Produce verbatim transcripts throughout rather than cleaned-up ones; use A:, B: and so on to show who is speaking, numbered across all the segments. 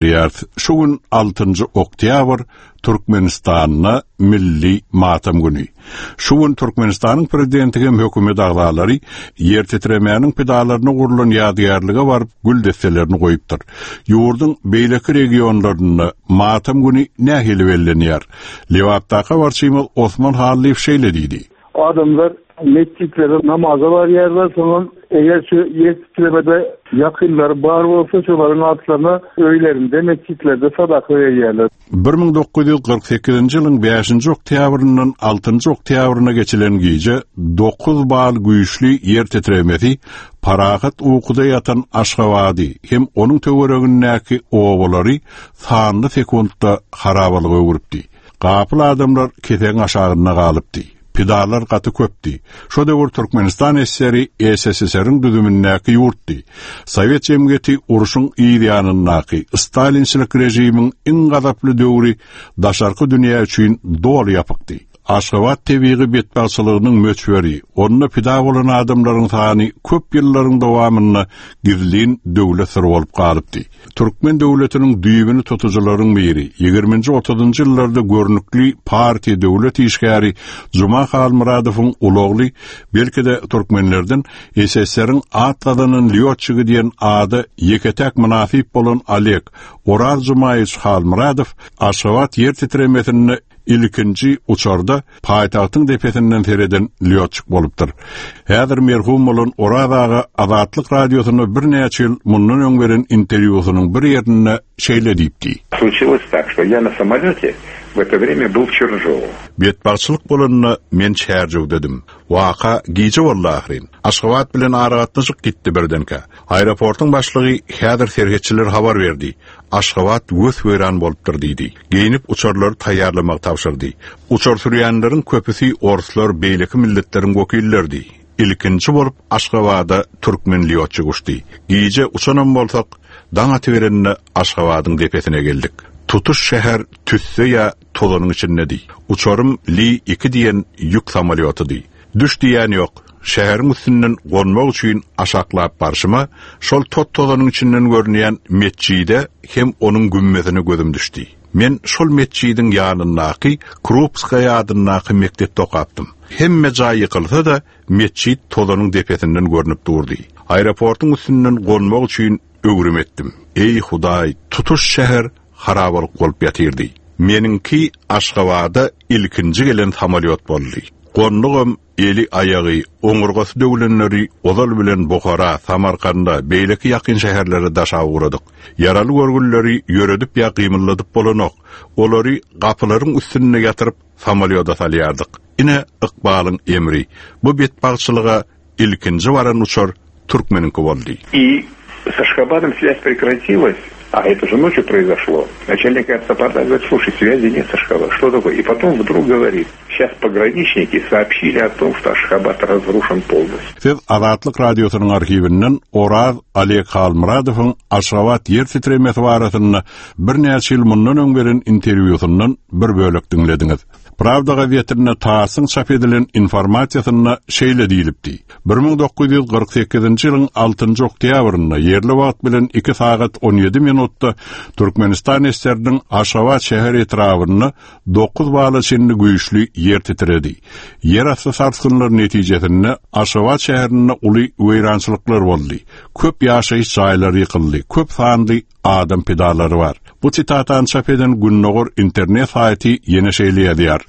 A: Ýarys. Şu gün altynjy oktýabr Türkmenistanda milli matam güni. Şu gün Türkmenistanyň prezidenti hem hökümet agzalary ýer titremäniň pidalaryna gurlan ýadygärlige baryp gül desselerini goýupdyr. Ýurduň beýleki regionlarynda matam güni nähili bellenýär? Lebapdaky habarçymyz Osman Hallyýew şeýle diýdi.
B: Adamlar metjitlere namaza barýarlar, soňam eger şu ýer titremede ýakynlary bar bolsa, şolaryň atlaryna öýlerinde, metjitlerde sadaka berýärler.
A: Bir müň dokuz ýüz kyrk sekizinji ýylyň bäşinji oktýabryndan altynjy oktýabryna geçilen gije dokuz bal güýçli ýer titremesi parahat ukuda ýatan Aşgabady hem onuň töweregindäki obalary sanly sekuntda harabalyga öwrüpdi. Gapyl adamlar kesegiň aşagynda galypdy. Pidalar gaty köpdi. Şo döwür Türkmenistan S S R-i S S S R-iň düzümindäki ýurtdy. Sowet jemgyýeti urşuň yz ýanyndaky stalinçilik režimiň iň gazaply döwri daşarky dünýä üçin doly ýapykdy. Aşgabat tebigy betbagtçylygynyň möçberi, onda pida bolan adamlaryň sany köp ýyllaryň dowamynda gizlin döwlet syry bolup galypdy. Türkmen döwletiniň düýbüni tutujylaryň biri, ýigriminji otuzynjy ýyllarda görnükli partiýa döwlet işgäri Juma Halmyradowyň ulagly, belki-de türkmenlerden S S S R-iň at gazanan lýotçigi diýen ada ýeke-täk mynasyp bolan Oleg Oraz Jumaýewiç Halmyradow Aşgabat ýer titremesinde ilkinji uçarda paýtagtyň depesinden sereden lýotçik bolupdyr. Häzir merhum bolan Oraz aga Azatlyk radiosynda birnäçe ýyl mundan öň beren interwýusynyň bir ýerinde şeýle diýipdi.
C: Случилось так, что я на самолете в это время был в Чарджоу.
A: Betbagtçylyk bolanda men Çärjewdedim. Waka gije boldy ahyryn. Aşgabat bilen aragatnaşyk gitdi birdenkä. Aeroportyň başlygy häzir serhetçiler habar berdi. Aşgabat gös-weýran bolupdyr diýdi. Geýinip uçarlary taýýarlamak tabşyrdy. Uçar sürýänleriň köpüsi orslar, beýleki milletleriň wekilleridi. Ilkinji bolup Aşgabada türkmen lýotçy uçdy. Gije uçanam bolsak, daň atyberende Aşgabadyň depesine geldik. Tutuş şäher tüsse ýa tozanyň içindedi. Uçarym Li iki diýen ýük samolýotydy. Düş diýen ýok. Şäheriň üstünden gonmak üçin aşaklap barşyma, şol tot tozanyň içinden görünýän metjide hem onuň gümmezine gözüm düşdi. Men şol metjidiň ýanyndaky Krupskaya adyndaky mekdepde okapdym. Hemme jaý ýykylsa da metjit tozanyň depesinden görünip durdy. Aeroportyň üstünden gonmak üçin öwrüm etdim. Ey Hudaý, tutuş şäher harabalyk bolup ýatyrdy. Meniňki Aşgabada ilkinji gelen samolyot boldy. Gondugam eli aýagy, oňurgasy döwlenleri ozal bilen Buhara, Samarkanda, beýleki ýakyn şäherlere daşa ugradyk. Ýaraly görgülleri ýöredip ýa gymylladyp bolanok. Olary gapylaryň üstünde ýatyryp samolýoda salýardyk. Ine ykbalyň emri. Bu betbagtçylyga ilkinji baran uçar türkmeniňki boldy.
C: И с Ашхабадом связь прекратилась. А это же ночью произошло. Начальник аэропорта говорит, слушай, связи нет с Ашхабадом. Что такое? И потом вдруг говорит, сейчас пограничники сообщили о том, что Ашхабад разрушен полностью.
A: Siz Azatlyk radiosynyň arhiwinden Oraz Oleg Halmyradowyň Aşgabat ýer titremesi barasynda birnäçe ýyl mundan öň beren interwýusyndan bir bölek diňlediňiz. Pravda gazetinde TASS-yň çap edilen informasiýasynda şeýle diýilipdi. Bir müň dokuz ýüz kyrk sekizinji ýylyň altynjy oktýabrynda ýerli wagt bilen iki sagat on ýedi minutda Türkmenistan S S R-niň Aşgabat şäher etrabynda dokuz bala çenli güýçli ýer titredi. Ýerasty sarsgynlar netijesinde Aşgabat şäherinde uly weýrançylyklar boldy. Köp ýaşaýyş jaýlary ýykyldy, köp sanly adam pidalary bar. Bu sitatany çap eden Gündogar internet saýty ýene şeýle ýazýar.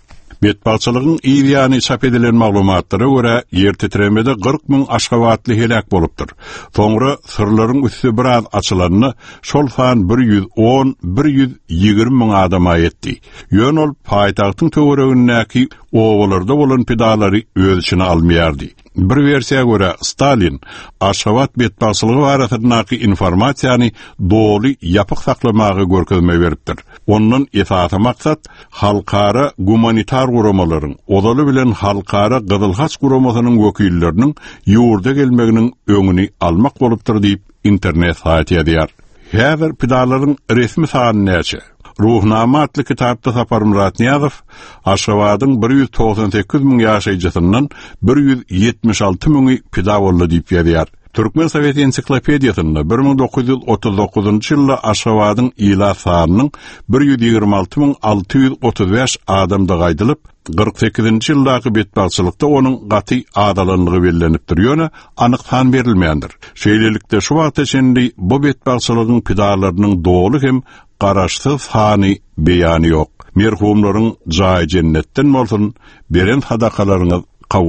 A: Betbagtçylygyň yz ýany çap edilen maglumatlara görä ýer titremede kyrk müň Aşgabatly heläk bolupdyr. Soňra syrlaryň üsti biraz açylanda şol san bir ýüz on, bir ýüz ýigrimi müň adama ýetdi. Ýöne ol paýtagtyň töweregindäki obalarda bolan pidalary öz içine almaýardy. Bir wersiýa görä Stalin Aşgabat betbagtçylygy barasyndaky informasiýany doly ýapyk saklamagy görkezme beripdir. Ondan esasy maksat halkara gumanitar guramalaryň, ozaly bilen halkara Gyzylhaç guramasynyň wekilleriniň ýurda gelmeginiň öňüni almak bolupdyr diýip internet saýty ýazýar. Häzir pidalaryň resmi sany näçe? Ruhnama atly kitapda Saparmyrat Nyýazow Aşgabadyň bir ýüz togsan sekiz müň ýaşaýjysyndan bir ýüz ýetmiş alty müňi pida boldy diýip ýazýar. Türkmen Sowet ensiklopediýasynda bir müň dokuz ýüz otuz dokuzynjy ýylda Aşgabadyň ilat sanynyň bir ýüz ýigrimi alty müň alty ýüz otuz bäş adamdygy aýdylyp, kyrk sekizinji ýyldaky betbagtçylykda onuň gaty azalandygy bellenipdir, ýöne anyk san berilmändir. Şeýlelikde şu wagta çenli bu betbagtçylygyň pidalarynyň doly hem garaşsyz sany beýany ýok. Merhumlaryň jaýy jennetden bolsun, beren sadakalaryňyz kabul